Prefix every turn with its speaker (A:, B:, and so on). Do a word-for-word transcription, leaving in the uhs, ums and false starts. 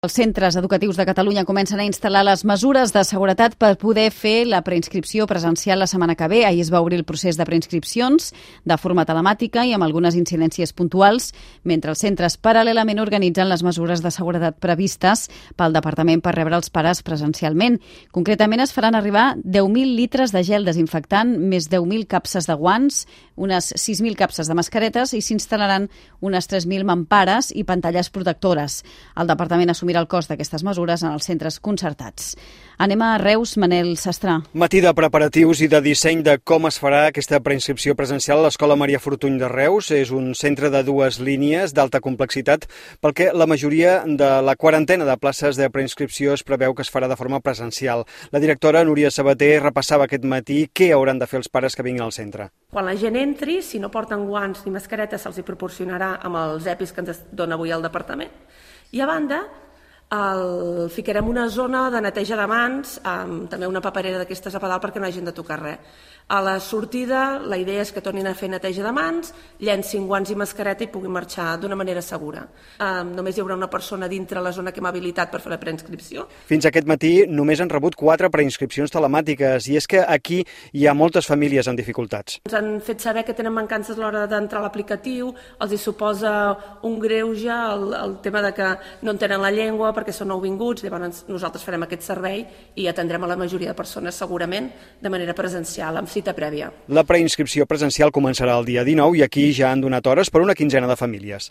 A: Els centres educatius de Catalunya comencen a instal·lar les mesures de seguretat per poder fer la preinscripció presencial la setmana que ve. Ahir es va obrir el procés de preinscripcions de forma telemàtica i amb algunes incidències puntuals, mentre els centres paral·lelament organitzen les mesures de seguretat previstes pel Departament per rebre els pares presencialment. Concretament es faran arribar deu mil litres de gel desinfectant, més deu mil capses de guants, unes sis mil capses de mascaretes i s'instal·laran unes tres mil mampares i pantalles protectores. El Departament assumirà el cost d'aquestes mesures en els centres concertats. Anem a Reus, Manel Sastrà.
B: Matí de preparatius i de disseny de com es farà aquesta preinscripció presencial a l'Escola Maria Fortuny de Reus. És un centre de dues línies d'alta complexitat perquè la majoria de la quarantena de places de preinscripció es preveu que es farà de forma presencial. La directora Núria Sabater repassava aquest matí què hauran de fer els pares que vinguin al centre.
C: Quan la gent entri, si no porten guants ni mascaretes, se'ls hi proporcionarà amb els EPIs que ens dona avui el departament. I a banda, el, ficarem una zona de neteja de mans, amb també una paperera d'aquestes a pedal perquè no hagin de tocar res. A la sortida, la idea és que tornin a fer neteja de mans, llencin guants i mascareta i puguin marxar d'una manera segura. Um, només hi haurà una persona dintre la zona que hem habilitat per fer la preinscripció.
B: Fins aquest matí només han rebut quatre preinscripcions telemàtiques i és que aquí hi ha moltes famílies en dificultats.
C: Ens han fet saber que tenen mancances a l'hora d'entrar a l'aplicatiu, els hi suposa un greuge el, el tema de que no entenen la llengua perquè són nouvinguts, llavors nosaltres farem aquest servei i atendrem a la majoria de persones segurament de manera presencial, amb cita prèvia.
B: La preinscripció presencial començarà el dia dinou i aquí ja han donat hores per una quinzena de famílies.